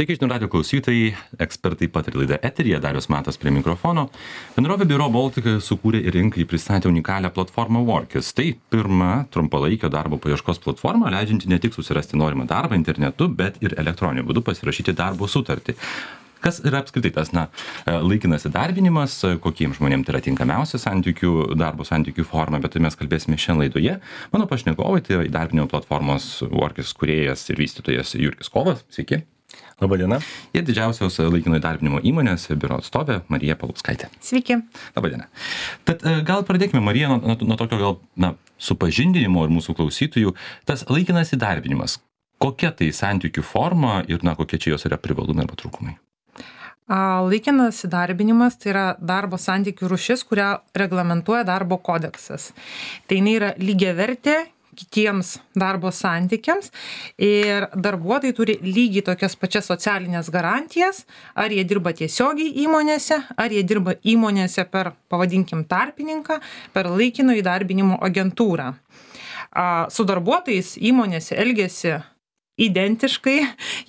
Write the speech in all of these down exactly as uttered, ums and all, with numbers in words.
Sveiki, žinių radijo klausytojai, ekspertai pataria laida eteryje, Darius Matas prie mikrofono. Bendrovė Biuro Baltica sukūrė ir rinkai pristatė unikalią platformą Workis. Tai pirma trumpalaikio darbo paieškos platforma, leidžianti ne tik susirasti norimą darbą internetu, bet ir elektroniniu būdu pasirašyti darbo sutartį. Kas yra apskritai tas na, laikinas įdarbinimas, kokiems žmonėms tai yra tinkamiausia santykių, darbo santykių forma, bet tai mes kalbėsime šiandien laidoje. Mano pašnekovai tai yra įdarbinimo platformos Workis kūrėjas ir vystytojas Jurgis Kovas. Sveiki. Labadiena. Ir didžiausios laikino įdarbinimo įmonės biuro atstovė Marija Paluckaitė. Sveiki. Labadiena. Tad gal pradėkime, Marija, nuo, nuo tokio gal na, supažindinimo ir mūsų klausytojų. Tas laikinas įdarbinimas, kokia tai santykių forma ir na, kokie čia jos yra privalumai arba trūkumai? Laikinas įdarbinimas tai yra darbo santykių rūšis, kurią reglamentuoja darbo kodeksas. Tai jinai yra lygiavertė kitiems darbo santykiams ir darbuotojai turi lygiai tokias pačias socialinės garantijas, ar jie dirba tiesiogiai įmonėse, ar jie dirba įmonėse per, pavadinkim, tarpininką, per laikino įdarbinimo agentūrą. Su darbuotojais įmonėse elgiasi identiškai,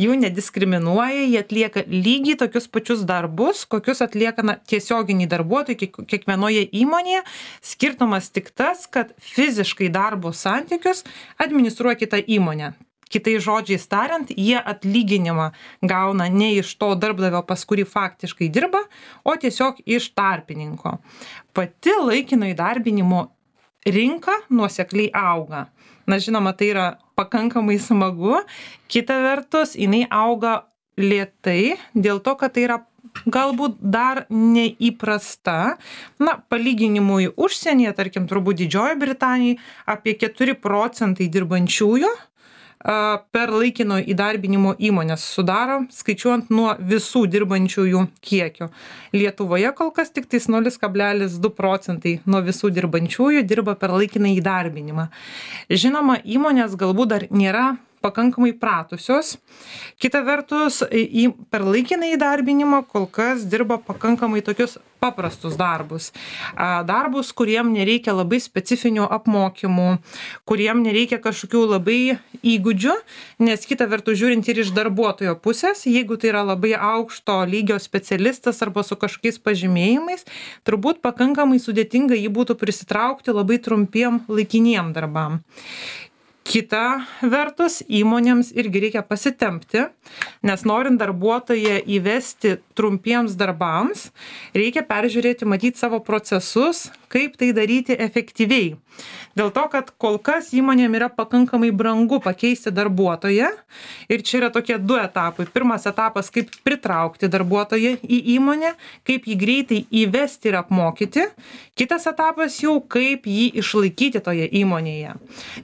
jų nediskriminuoja, jie atlieka lygiai tokius pačius darbus, kokius atlieka na, tiesioginiai darbuotojai kiekvienoje įmonėje. Skirtumas tik tas, kad fiziškai darbo santykius administruoja kita įmonė. Kitais žodžiais tariant, jie atlyginimą gauna ne iš to darbdavio, pas kurį faktiškai dirba, o tiesiog iš tarpininko. Pati laikino įdarbinimo rinka nuosekliai auga. Na, žinoma, tai yra pakankamai smagu. Kita vertus, jinai auga lėtai, dėl to, kad tai yra galbūt dar neįprasta. Na, palyginimui užsienyje, tarkim, turbūt Didžiojoje Britanijoje, apie keturi procentai dirbančiųjų per laikino įdarbinimo įmonės sudaro, skaičiuojant nuo visų dirbančiųjų kiekio. Lietuvoje kol kas tik tais nulis kablelis du procentai nuo visų dirbančiųjų dirba per laikiną įdarbinimą. Žinoma, įmonės galbūt dar nėra pakankamai pratusios. Kita vertus, į, per laikiną įdarbinimą kol kas dirba pakankamai tokius paprastus darbus. Darbus, kuriem nereikia labai specifinių apmokymų, kuriem nereikia kažkokių labai įgūdžių, nes kita vertus žiūrint ir iš darbuotojo pusės, jeigu tai yra labai aukšto lygio specialistas arba su kažkokiais pažymėjimais, turbūt pakankamai sudėtinga jį būtų prisitraukti labai trumpiem laikiniem darbam. Kita vertus, įmonėms irgi reikia pasitempti, nes norint darbuotoją įvesti trumpiems darbams, reikia peržiūrėti, matyti savo procesus, kaip tai daryti efektyviai. Dėl to, kad kol kas įmonėm yra pakankamai brangu pakeisti darbuotoją ir čia yra tokie du etapai. Pirmas etapas, kaip pritraukti darbuotoją į įmonę, kaip jį greitai įvesti ir apmokyti. Kitas etapas jau, kaip jį išlaikyti toje įmonėje.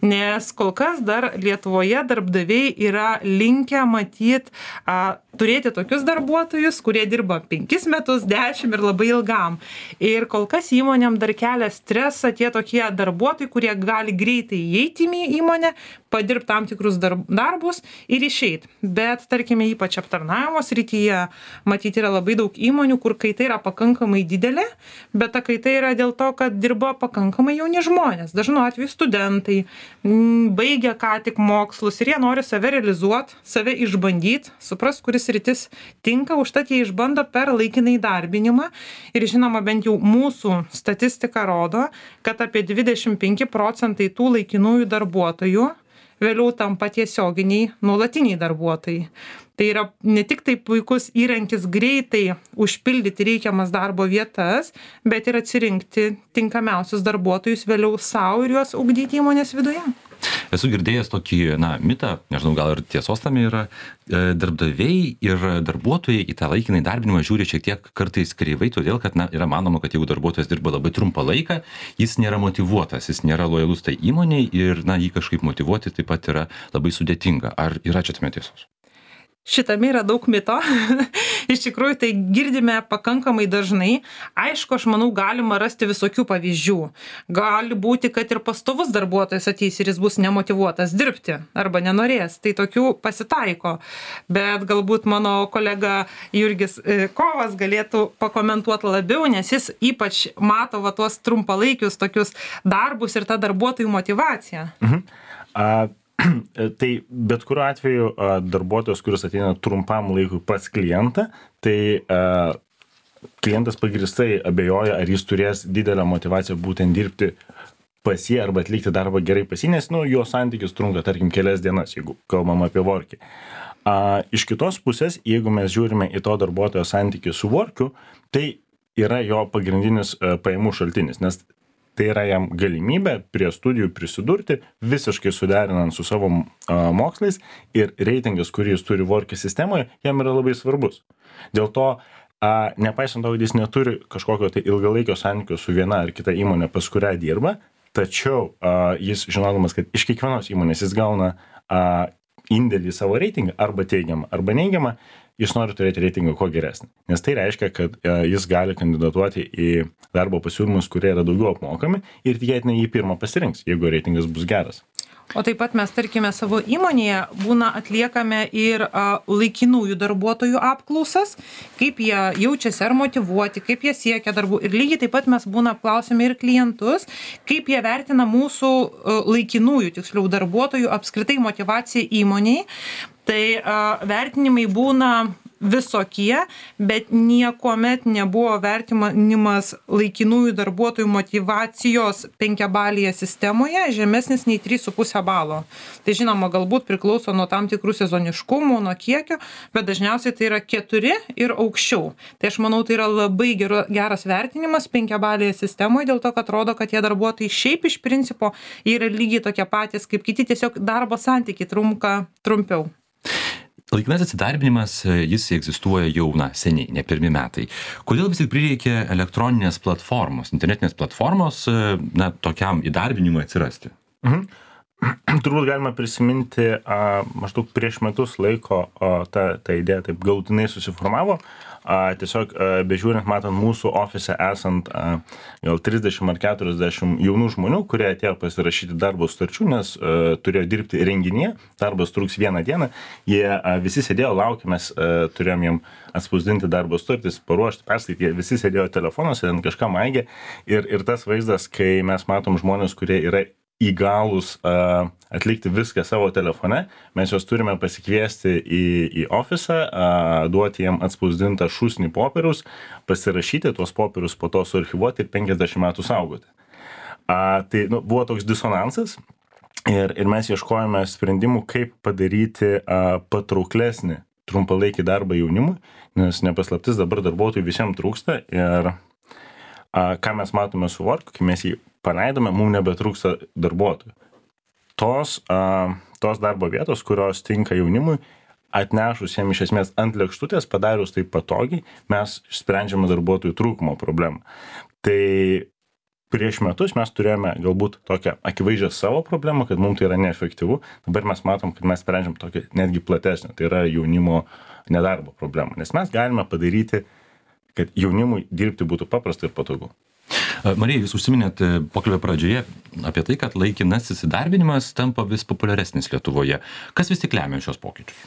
Nes kol kas dar Lietuvoje darbdaviai yra linkę matyti, a, turėti tokius darbuotojus, kurie dirba penkis metus, dešimt ir labai ilgam. Ir kol kas įmonėm dar kelia stresą tie tokie darbuotojai, kurie gali greitai įeiti į įmonę, padirbti tam tikrus darbus ir išeiti. Bet, tarkime, ypač aptarnavimo srityje, matyti yra labai daug įmonių, kur kaita yra pakankamai didelė, bet ta kaita yra dėl to, kad dirba pakankamai jauni žmonės. Dažnu atveju studentai, baigia ką tik mokslus ir jie nori save realizuoti, save išbandyti, supras, kuris sritis tinka, užtat jie išbando per laikiną įdarbinimą. Ir žinoma, bent jau mūsų statistika rodo, kad apie dvidešimt penki procentai tų laikinųjų darbuotojų vėliau tampa tiesioginiai nuolatiniai darbuotojai. Tai yra ne tik tai puikus įrankis greitai užpildyti reikiamas darbo vietas, bet ir atsirinkti tinkamiausius darbuotojus vėliau savo ir juos ugdyti įmonės viduje. Esu girdėjęs tokį, na, mitą, nežinau, gal ir tiesos tame yra, darbdaviai ir darbuotojai į tą laikiną įdarbinimą žiūri šiek tiek kartais kreivai, todėl, kad, na, yra manoma, kad jeigu darbuotojas dirba labai trumpą laiką, jis nėra motyvuotas, jis nėra lojalus tai įmoniai ir, na, jį kažkaip motyvuoti taip pat yra labai sudėtinga. Ar yra čia tame tiesos? Šitame yra daug mito. Iš tikrųjų, tai girdime pakankamai dažnai. Aišku, aš manau, galima rasti visokių pavyzdžių. Gali būti, kad ir pastovus darbuotojas ateis ir jis bus nemotyvuotas dirbti arba nenorės. Tai tokių pasitaiko. Bet galbūt mano kolega Jurgis Kovas galėtų pakomentuoti labiau, nes jis ypač mato va, tuos trumpalaikius tokius darbus ir tą darbuotojų motyvaciją. Mhm. A... Tai bet kuriuo atveju darbuotojas, kuris ateina trumpam laikui pas klientą, tai klientas pagrįstai abejoja, ar jis turės didelę motyvaciją būtent dirbti pas jį arba atlikti darbą gerai pas jį, nes nu, jo santykis trunka, tarkim, kelias dienas, jeigu kalbam apie workį. A, iš kitos pusės, jeigu mes žiūrime į to darbuotojo santykį su workiu, tai yra jo pagrindinis a, pajamų šaltinis, nes tai yra jam galimybė prie studijų prisidurti, visiškai suderinant su savo a, mokslais ir reitingas, kurį jis turi workį sistemoje, jam yra labai svarbus. Dėl to, a, nepaisant to, kad jis neturi kažkokio tai ilgalaikio santykio su viena ar kita įmonė, pas kurią dirba, tačiau a, jis žinodamas, kad iš kiekvienos įmonės jis gauna a, indėlį į savo reitingą, arba teigiamą, arba neigiamą, jis nori turėti reitingą kuo geresnį. Nes tai reiškia, kad e, jis gali kandidatuoti į darbo pasiūlymus, kurie yra daugiau apmokami ir tikėtinai jį pirmą pasirinks, jeigu reitingas bus geras. O taip pat mes, tarkime, savo įmonėje būna atliekame ir a, laikinųjų darbuotojų apklausas, kaip jie jaučiasi ar motyvuoti, kaip jie siekia darbų. Ir lygiai taip pat mes būna apklausėme ir klientus, kaip jie vertina mūsų a, laikinųjų, tiksliau, darbuotojų apskritai motyvaciją įmoniai. Tai a, vertinimai būna visokie, bet niekuomet nebuvo vertinimas laikinųjų darbuotojų motyvacijos penkiabalėje sistemoje žemesnis nei trys su puse balo. Tai žinoma, galbūt priklauso nuo tam tikrų sezoniškumų, nuo kiekio, bet dažniausiai tai yra keturi ir aukščiau. Tai aš manau, tai yra labai geru, geras vertinimas penkiabalėje sistemoje, dėl to, kad rodo, kad tie darbuotojai šiaip iš principo yra lygiai tokie patys kaip kiti, tiesiog darbo santykiai trunka trumpiau. Laikinasis įdarbinimas, jis egzistuoja jau na, seniai, ne pirmi metai. Kodėl vis tik prireikė elektroninės platformos, internetinės platformos na, tokiam įdarbinimui atsirasti? Mhm. Turbūt galima prisiminti, a, maždaug prieš metus laiko a, ta, ta idėja taip galutinai susiformavo. A, tiesiog a, bežiūrint, matant mūsų ofise esant a, gal trisdešimt ar keturiasdešimt jaunų žmonių, kurie atėjo pasirašyti darbo sutarčių, nes a, turėjo dirbti renginyje, darbas truks vieną dieną, jie a, visi sėdėjo, laukė, mes a, turėjom jiem atspausdinti darbo sutartis, paruošti, perskaityti, visi sėdėjo telefonuose, ten kažką maigė ir, ir tas vaizdas, kai mes matom žmonės, kurie yra įgalus uh, atlikti viską savo telefone, mes juos turime pasikviesti į, į ofisą, uh, duoti jiem atspausdintą šūsnį popieriaus, pasirašyti tuos popierius, po to suarchyvuoti ir penkiasdešimt metų saugoti. Uh, tai nu, buvo toks disonansas ir, ir mes ieškojame sprendimų, kaip padaryti uh, patrauklesnį trumpalaikį darbą jaunimui, nes nepaslaptis dabar darbuotojų visiems trūksta ir uh, ką mes matome su Work, kai mes jį paleidome, mums nebetrūksta darbuotojų. Tos, a, tos darbo vietos, kurios tinka jaunimui, atnešus jiem iš esmės ant lėkštutės, padarius tai patogiai, mes sprendžiame darbuotojų trūkumo problemą. Tai prieš metus mes turėjome galbūt tokią akivaizdžią savo problemą, kad mums tai yra neefektyvu. Dabar mes matom, kad mes sprendžiam tokią netgi platesnę, tai yra jaunimo nedarbo problemą. Nes mes galime padaryti, kad jaunimui dirbti būtų paprasta ir patogu. Marija, jūs užsiminėt pokalbio pradžioje apie tai, kad laikinasis įdarbinimas tampa vis populiaresnis Lietuvoje. Kas vis tik lemia šios pokyčius?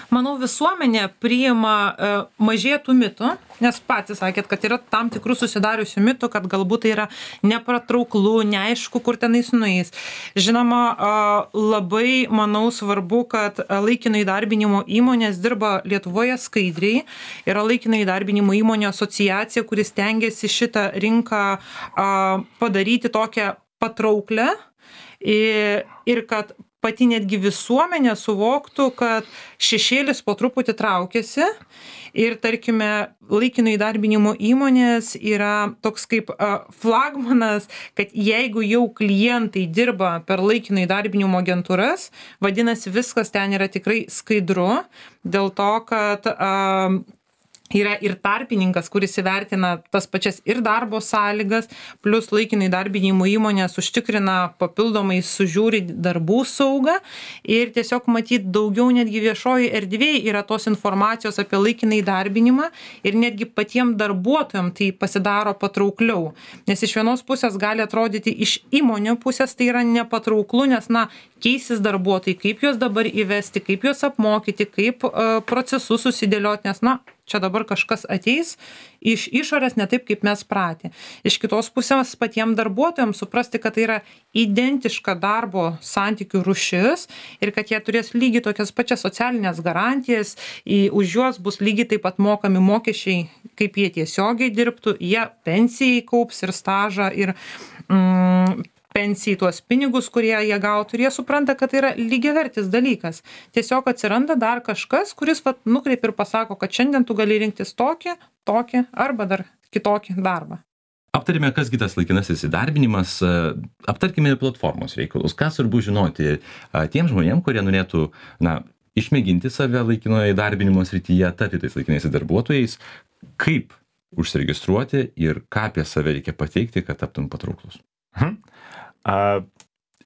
Manau, visuomenė priima e, mažėtų mitų, nes patys sakėt, kad yra tam tikrų susidariusių mitų, kad galbūt tai yra nepatrauklu, neaišku, kur tenais nueis. Žinoma, e, labai, manau, svarbu, kad laikino įdarbinimo įmonės dirba Lietuvoje skaidriai. Yra laikino įdarbinimo įmonė asociacija, kuris stengiasi šitą rinką e, padaryti tokią patrauklę ir, ir kad pati netgi visuomenė suvoktų, kad šešėlis po truputį traukiasi ir, tarkime, laikino įdarbinimo įmonės yra toks kaip flagmanas, kad jeigu jau klientai dirba per laikino įdarbinimo agentūras, vadinasi, viskas ten yra tikrai skaidru, dėl to, kad a, yra ir tarpininkas, kuris įvertina tas pačias ir darbo sąlygas, plus laikinai įdarbinimo įmonės užtikrina papildomai sužiūri darbų saugą ir tiesiog matyt daugiau netgi viešoji erdvėje yra tos informacijos apie laikinai įdarbinimą ir netgi patiem darbuotojam tai pasidaro patraukliau. Nes iš vienos pusės gali atrodyti iš įmonių pusės tai yra nepatrauklu, nes na, keisis darbuotojai, kaip juos dabar įvesti, kaip juos apmokyti, kaip uh, procesus susidėlioti, nes na, čia dabar kažkas ateis iš išorės ne taip, kaip mes pratę. Iš kitos pusės patiems darbuotojams suprasti, kad tai yra identiška darbo santykių rūšis ir kad jie turės lygiai tokias pačias socialinės garantijas, į, už juos bus lygiai taip pat mokami mokesčiai, kaip jie tiesiogiai dirbtų, jie pensijai kaups ir stažą ir mm, pensijai tuos pinigus, kurie jie gautų, ir jie supranta, kad tai yra lygiavertis dalykas. Tiesiog atsiranda dar kažkas, kuris vat, nukreip ir pasako, kad šiandien tu gali rinktis tokį, tokį arba dar kitokį darbą. Aptarėme, kas kitas laikinasis įdarbinimas, aptarkime ir platformos reikalus. Ką svarbu žinoti tiem žmonėm, kurie norėtų na, išmėginti save laikinojo įdarbinimo srityje, tapti tais laikinaisiais darbuotojais, kaip užsiregistruoti ir ką apie save reikia pateikti, kad taptum patrauklus. Mhm. A,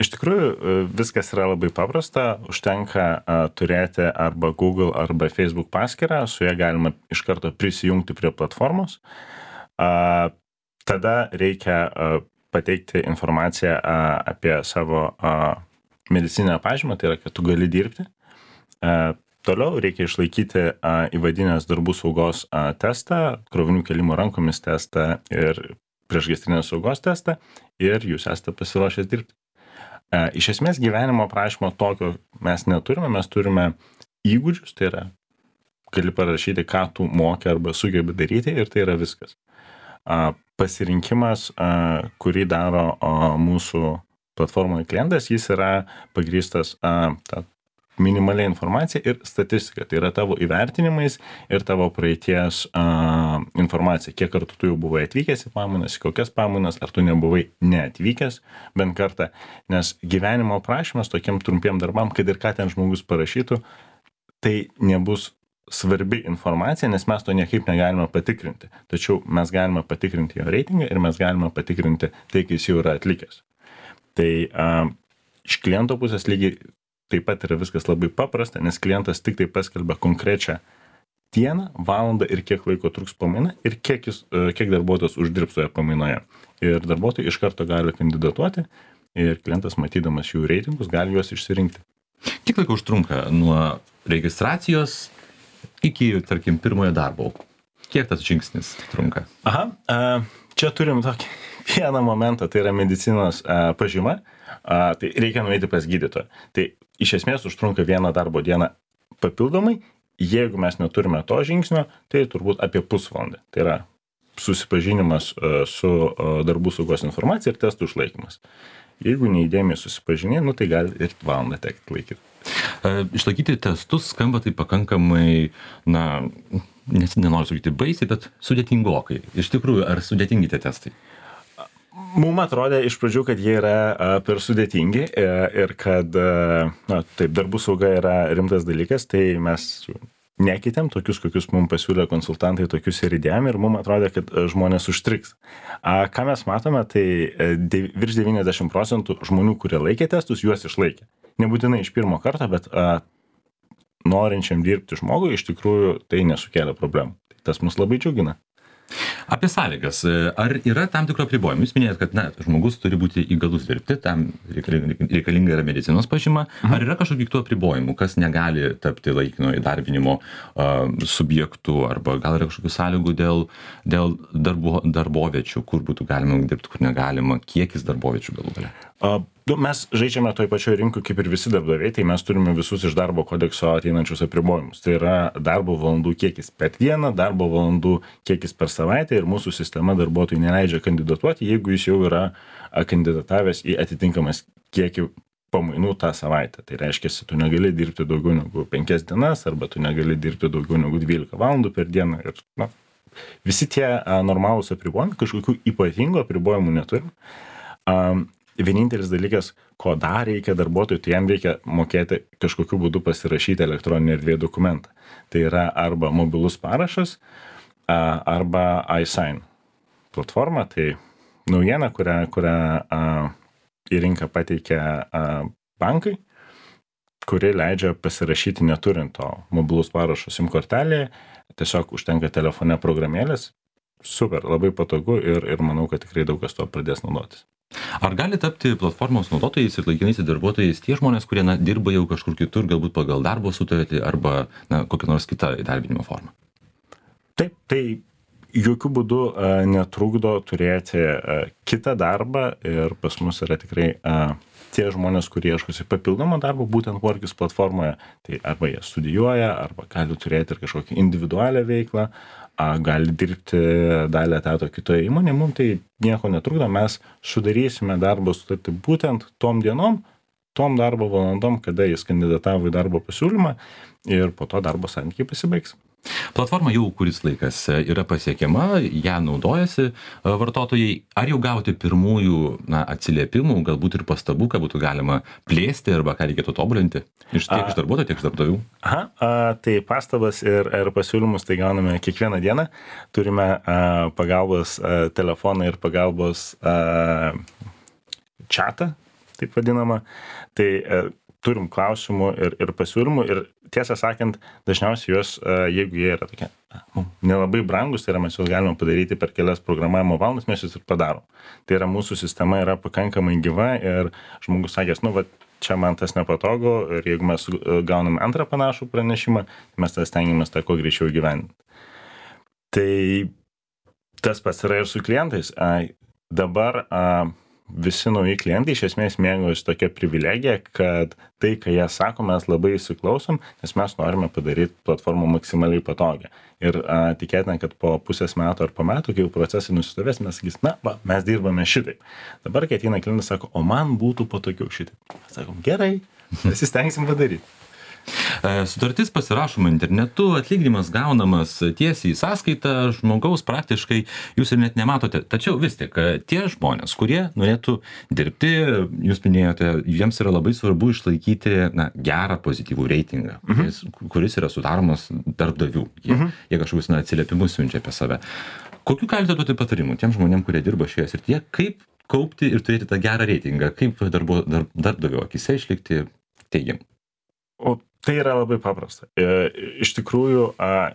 iš tikrųjų, viskas yra labai paprasta, užtenka a, turėti arba Google arba Facebook paskyrą, su ja galima iš karto prisijungti prie platformos. A, tada reikia a, pateikti informaciją a, apie savo a, medicininę pažymą, tai yra, kad tu gali dirbti. A, toliau reikia išlaikyti a, įvadinės darbų saugos a, testą, krovinių kelimo rankomis testą ir priešgaisrinės saugos testą ir jūs esate pasiruošęs dirbti. E, iš esmės gyvenimo aprašymo tokio mes neturime, mes turime įgūdžius, tai yra, gali parašyti, ką tu moki arba sugebi daryti ir tai yra viskas. E, pasirinkimas, e, kurį daro o, mūsų platformoje klientas, jis yra pagrįstas e, ta, minimaliai informacija ir statistika, tai yra tavo įvertinimais ir tavo praeities a, informacija, kiek kartų tu jau buvai atvykęs į pamainas, kokias pamainas, ar tu nebuvai neatvykęs bent kartą, nes gyvenimo aprašymas tokiem trumpiem darbam, kad ir ką ten žmogus parašytų, tai nebus svarbi informacija, nes mes to niekaip negalime patikrinti, tačiau mes galime patikrinti jo reitingą ir mes galime patikrinti tai, kai jis jau yra atlikęs. Tai a, iš kliento pusės lygiai taip pat yra viskas labai paprasta, nes klientas tik tai paskelbia konkrečią dieną, valandą ir kiek laiko truks pamaina ir kiek, jis, kiek darbuotojas uždirbs toje pamainoje. Ir darbuotojai iš karto gali kandidatuoti ir klientas, matydamas jų reitingus, gali juos išsirinkti. Kiek laiko užtrunka nuo registracijos iki, tarkim, pirmojo darbo? Kiek tas žingsnis trunka? Aha, čia turim tokį vieną momentą, tai yra medicinos pažyma, tai reikia nueiti pas gydytoją. Tai iš esmės užtrunka vieną darbo dieną papildomai, jeigu mes neturime to žingsnio, tai turbūt apie pusvalandį. Tai yra susipažinimas su darbų saugos informacija ir testų išlaikymas. Jeigu neįdėmiai susipažinė, nu, tai gali ir valandą tekti laikyti. Išlaikyti testus skamba tai pakankamai, na, nes nenoriu sakyti baisiai, bet sudėtingokai. Iš tikrųjų, ar sudėtingi tie testai? Mums atrodė iš pradžių, kad jie yra a, per sudėtingi e, ir kad, a, na, taip, darbų sauga yra rimtas dalykas, tai mes nekeitėm tokius, kokius mums pasiūlė konsultantai, tokius ir įdėjom ir mums atrodė, kad a, žmonės užstriks. A, ką mes matome, tai a, de, virš devyniasdešimt procentų žmonių, kurie laikė testus, juos išlaikė. Nebūtinai iš pirmo karto, bet a, norinčiam dirbti žmogui iš tikrųjų tai nesukėlė problemų. Tas mus labai džiugina. Apie sąlygas. Ar yra tam tikro apribojimų? Jūs minėjot, kad na, žmogus turi būti įgalus dirbti, tam reikalinga yra medicinos pažyma. Mhm. Ar yra kažkokių kitų apribojimų, kas negali tapti laikino įdarbinimo uh, subjektų, arba gal yra kažkokių sąlygų dėl, dėl darbo, darboviečių, kur būtų galima dirbti, kur negalima, kiekis darboviečių galų galia? Uh, mes žaidžiame toj pačioj rinkoj kaip ir visi darbdaviai, tai mes turime visus iš darbo kodekso ateinančius apribojimus. Tai yra darbo valandų kiekis per dieną, darbo valandų kiekis per savaitę ir mūsų sistema darbuotojui neleidžia kandidatuoti, jeigu jis jau yra kandidatavęs į atitinkamas kiekį pamainų tą savaitę. Tai reiškia, tu negali dirbti daugiau negu penkias dienas arba tu negali dirbti daugiau negu dvylika valandų per dieną. Ir, na, visi tie a, normalūs apribojimai, kažkokių ypatingų apribojimų neturim. Um, Vienintelis dalykas, ko dar reikia darbuotojui, tai jam reikia mokėti kažkokiu būdu pasirašyti elektroninį erdvėje dokumentą. Tai yra arba mobilus parašas, arba iSign platforma. Tai naujiena, kurią, kurią a, į rinką pateikia a, bankai, kuri leidžia pasirašyti neturint to mobilus parašo SIM kortelėje. Tiesiog užtenka telefone programėlės. Super, labai patogu ir, ir manau, kad tikrai daug kas to pradės naudotis. Ar gali tapti platformos naudotojais ir laikinaisiais darbuotojais tie žmonės, kurie na, dirba jau kažkur kitur, galbūt pagal darbo sutartį arba na, kokią nors kitą įdarbinimo formą? Taip, tai jokių būdų a, netrukdo turėti a, kitą darbą ir pas mus yra tikrai a, tie žmonės, kurie ieškosi papildomo darbo, būtent Workis platformoje, tai arba jie studijuoja, arba gali turėti ir kažkokią individualią veiklą, a, gali dirbti dalį etato kitoje įmonėje, mums tai nieko netrukdo, mes sudarysime darbo sutartį būtent tom dienom, tom darbo valandom, kada jis kandidatavo į darbo pasiūlymą ir po to darbo santykiai pasibaigs. Platforma jau kuris laikas yra pasiekiama, ją naudojasi vartotojai. Ar jau gauti pirmųjų na, atsiliepimų, galbūt ir pastabų, ką būtų galima plėsti arba ką reikėtų tobulinti iš tiek iš darbuotojų, tiek iš darbdavių? Aha, a, tai pastabas ir, ir pasiūlymus tai gauname kiekvieną dieną. Turime a, pagalbos a, telefoną ir pagalbos a, chatą, taip vadinamą. Tai a, turim klausimų ir, ir pasiūlymų ir tiesą sakant, dažniausiai juos, jeigu jie yra tokie nelabai brangus, tai yra mes juos galime padaryti per kelias programavimo valandas, mes juos ir padarom. Tai yra mūsų sistema yra pakankamai gyva ir žmogus sakės, nu, va, čia man tas nepatogu ir jeigu mes gauname antrą panašų pranešimą, mes tas stengiamės tą kuo greičiau įgyvendinti. Tai tas pats yra ir su klientais. Dabar visi nauji klientai iš esmės mėgaujasi tokia privilegija, kad tai, ką jie sako, mes labai įsiklausom, nes mes norime padaryti platformą maksimaliai patogią. Ir a, tikėtina, kad po pusės metų ar po metų, kai jau procesai nusistovės, mes sakys, na, va, mes dirbame šitaip. Dabar, kai ateina klientas, sako, o man būtų patogiau šitaip. Mes sakom, gerai, pasistengsim padaryti. Sutartis pasirašoma internetu, atlyginimas gaunamas tiesiai į sąskaitą, žmogaus praktiškai jūs ir net nematote. Tačiau vis tik tie žmonės, kurie norėtų dirbti, jūs minėjote, jiems yra labai svarbu išlaikyti na, gerą pozityvų reitingą, mhm. kuris, kuris yra sudaromas darbdavių. Jie, mhm. jie kažkokius na, atsiliepimus siunčia apie save. Kokiu galite duoti patarimų tiem žmonėm, kurie dirba šioje srityje, kaip kaupti ir turėti tą gerą reitingą, kaip darbo, dar, darbdavio akise išlikti teigiamai? O tai yra labai paprasta. Iš tikrųjų,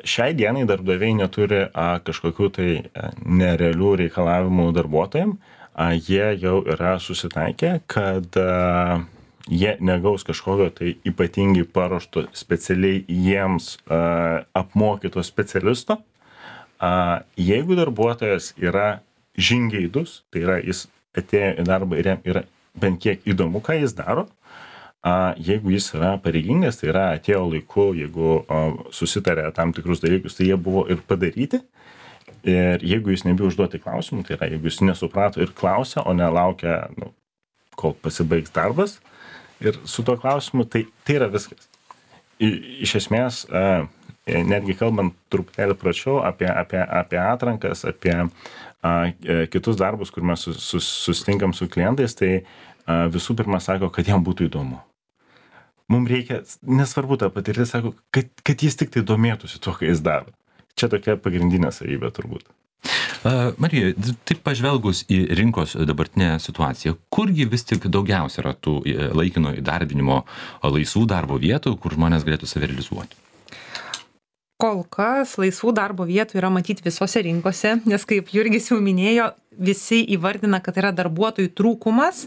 šiai dienai darbdaviai neturi kažkokių tai nerealių reikalavimų darbuotojams. Jie jau yra susitaikę, kad jie negaus kažkokio tai ypatingai paruošto specialiai jiems apmokyto specialisto. Jeigu darbuotojas yra žingeidus, tai yra jis atėjo į darbą ir jam yra bent kiek įdomu, ką jis daro, jeigu jis yra pareigingas, tai yra atėjo laiku, jeigu susitarė tam tikrus dalykus, tai jie buvo ir padaryti. Ir jeigu jis nebijau užduoti klausimų, tai yra, jeigu jis nesuprato ir klausia, o nelaukia, nu, kol pasibaigs darbas ir su tuo klausimu, tai, tai yra viskas. I, iš esmės, netgi kalbant truputėlį pračiau apie, apie, apie atrankas, apie a, kitus darbus, kur mes sus, sus, susitinkam su klientais, tai a, visų pirma sako, kad jam būtų įdomu. Mums reikia, nesvarbu tą patirtį, sako, kad, kad jis tik tai domėtųsi tuo, ką jis daro. Čia tokia pagrindinė savybė turbūt. Uh, Marija, taip pažvelgus į rinkos dabartinę situaciją, kurgi vis tik daugiausia yra tų laikino įdarbinimo laisvų darbo vietų, kur žmonės galėtų save realizuoti? Kol kas laisvų darbo vietų yra matyti visose rinkose, nes kaip Jurgis jau minėjo, visi įvardina, kad yra darbuotojų trūkumas.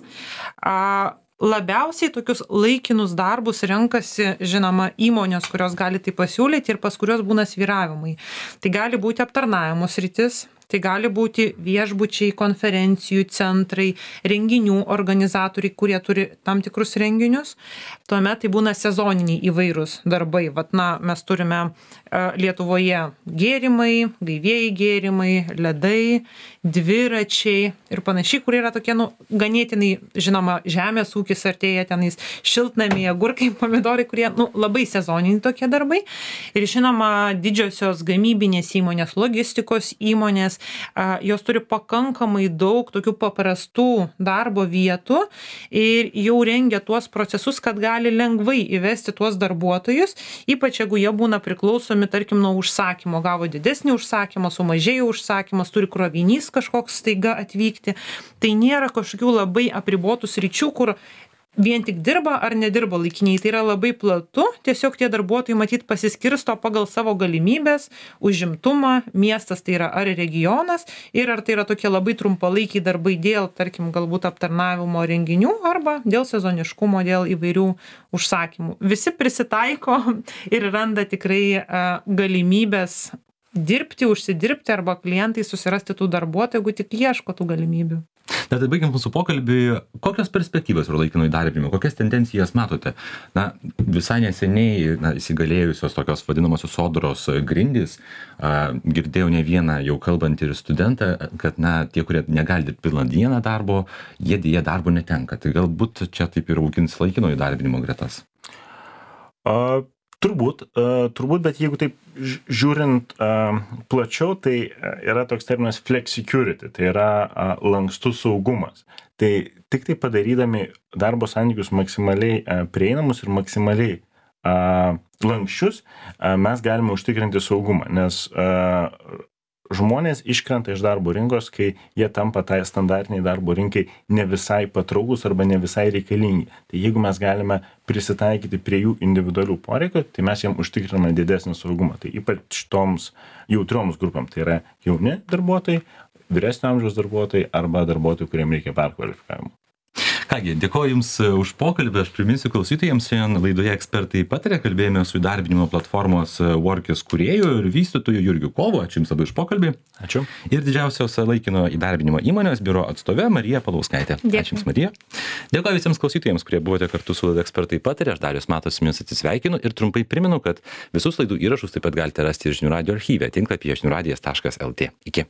A, labiausiai tokius laikinus darbus renkasi, žinoma, įmonės, kurios gali tai pasiūlyti ir pas kurios būna svyravimai. Tai gali būti aptarnavimo sritis, tai gali būti viešbučiai, konferencijų centrai, renginių organizatoriai, kurie turi tam tikrus renginius. Tuomet tai būna sezoniniai įvairūs darbai. Vat, na, mes turime Lietuvoje gėrimai, gaivieji gėrimai, ledai, dviračiai ir panašiai, kurie yra tokie, nu, ganėtinai, žinoma, žemės ūkis artėja tenais, šiltnamiai, agurkai, pomidorai, kurie, nu, labai sezoniniai tokie darbai. Ir žinoma, didžiosios gamybinės įmonės, logistikos įmonės, jos turi pakankamai daug tokių paprastų darbo vietų ir jau rengia tuos procesus, kad gali lengvai įvesti tuos darbuotojus, ypač jeigu jie būna priklausomi, tarkim, nuo užsakymo, gavo didesnį užsakymą, sumažėjo užsakymas, turi krovinys kažkoks staiga atvykti. Tai nėra kažkokių labai apribotų sričių, kur vien tik dirba ar nedirba laikiniai. Tai yra labai platu, tiesiog tie darbuotojai matyt pasiskirsto pagal savo galimybės, užimtumą, miestas tai yra ar regionas ir ar tai yra tokie labai trumpalaikiai darbai dėl, tarkim, galbūt aptarnavimo renginių arba dėl sezoniškumo, dėl įvairių užsakymų. Visi prisitaiko ir randa tikrai galimybės dirbti, užsidirbti arba klientai susirasti tų darbuotojų, jeigu tik ieško tų galimybių. Tad baigiant mūsų pokalbį, kokios perspektyvos yra laikino įdarbinimo, kokias tendencijas matote? Na, visai neseniai na, įsigalėjusios tokios vadinamosios sodros grindys, a, girdėjau ne vieną jau kalbant ir studentą, kad na, tie, kurie negali dirbti pilną dieną darbo, jie dėja darbo netenka. Tai galbūt čia taip ir augins laikino įdarbinimo gretas. A, turbūt, a, turbūt, bet jeigu taip žiūrint a, plačiau, tai yra toks terminas flexicurity, tai yra a, lankstus saugumas. Tai tik tai padarydami darbo santykius maksimaliai a, prieinamus ir maksimaliai a, lankščius, a, mes galime užtikrinti saugumą, nes a, žmonės iškrenta iš darbo rinkos, kai jie tampa tai standartiniai darbo rinkai ne visai patraukus arba ne visai reikalingi. Tai jeigu mes galime prisitaikyti prie jų individualių poreikių, tai mes jiem užtikriname didesnį saugumą. Tai ypač toms jautrioms grupėm, tai yra jauni darbuotojai, vyresnio amžiaus darbuotojai arba darbuotojai, kuriem reikia perkvalifikavimo. Kągi, dėkoju Jums už pokalbį, aš priminsiu klausytojams, šiandien laidoje ekspertai pataria, kalbėjome su įdarbinimo platformos Workis kūrėju ir vystytoju Jurgiu Kovu, ačiū Jums labai už pokalbį. Ačiū. Ir didžiausios laikino įdarbinimo įmonės biuro atstovė Marija Palauskaitė. Dėkui. Ačiū Jums, Marija. Dėkoju visiems klausytojams, kurie buvote kartu su laida ekspertai pataria, aš Darius Matas su Jumis atsisveikinu ir trumpai primenu, kad visus laidų įrašus taip pat galite rasti ir žinių radijo archyve tinklapyje žinių radijas taškas lt. Iki.